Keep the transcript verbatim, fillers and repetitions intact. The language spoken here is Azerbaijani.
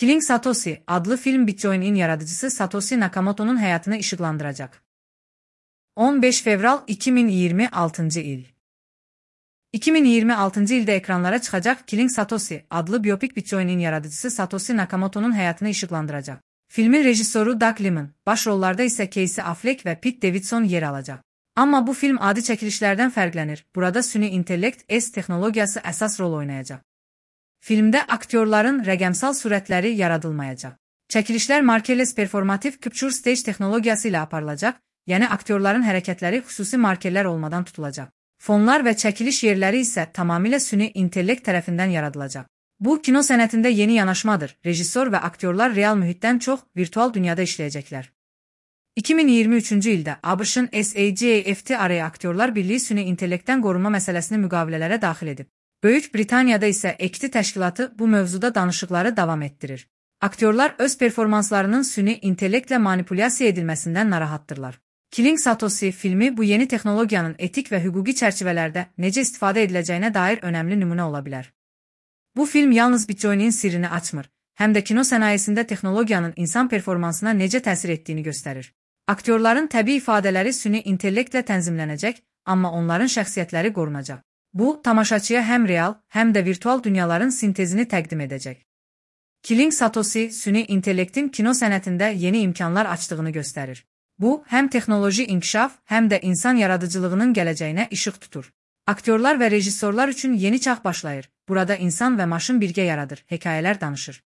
Killing Satoshi adlı film Bitcoin'in yaradıcısı Satoshi Nakamoto'nun hayatını ışıklandıracak. on beş Fevral iki bin yirmi altıncı il. iki bin yirmi altıncı ilde ekranlara çıkacak Killing Satoshi adlı biyopik Bitcoin'in yaradıcısı Satoshi Nakamoto'nun hayatını ışıklandıracak. Filmin rejisörü Doug Liman, başrollarda ise Casey Affleck ve Pete Davidson yer alacak. Ama bu film adi çekilişlerden farklanır. Burada süni intellekt S texnologiyası əsas rol oynayacak. Filmdə aktyorların rəqəmsal sürətləri yaradılmayacaq. Çəkilişlər markerless performativ capture stage texnologiyası ilə aparılacaq, yəni aktyorların hərəkətləri xüsusi markerlər olmadan tutulacaq. Fonlar və çəkiliş yerləri isə tamamilə süni intellekt tərəfindən yaradılacaq. Bu, kino sənətində yeni yanaşmadır. Rejissor və aktyorlar real mühitdən çox virtual dünyada işləyəcəklər. iki bin iyirmi üçüncü ildə ABŞ-ın SAG-AFT araya aktyorlar birliyi süni intellektdən qorunma məsələsini müqavilələrə daxil edib. Böyük Britaniyada isə E K T təşkilatı bu mövzuda danışıqları davam etdirir. Aktyorlar öz performanslarının süni intellektlə manipulyasiya edilməsindən narahatdırlar. Killing Satoshi filmi bu yeni texnologiyanın etik və hüquqi çərçivələrdə necə istifadə ediləcəyinə dair önəmli nümunə ola bilər. Bu film yalnız Bitcoin'in sirrini açmır, həm də kino sənayesində texnologiyanın insan performansına necə təsir etdiyini göstərir. Aktyorların təbii ifadələri süni intellektlə tənzimlənəcək, amma onların şəxsiyyətləri qorunacaq. Bu, tamaşaçıya həm real, həm də virtual dünyaların sintezini təqdim edəcək. Killing Satoshi, süni intellektin kino sənətində yeni imkanlar açdığını göstərir. Bu, həm texnoloji inkişaf, həm də insan yaradıcılığının gələcəyinə işıq tutur. Aktyorlar və rejissorlar üçün yeni çağ başlayır. Burada insan və maşın birgə yaradır, hekayələr danışır.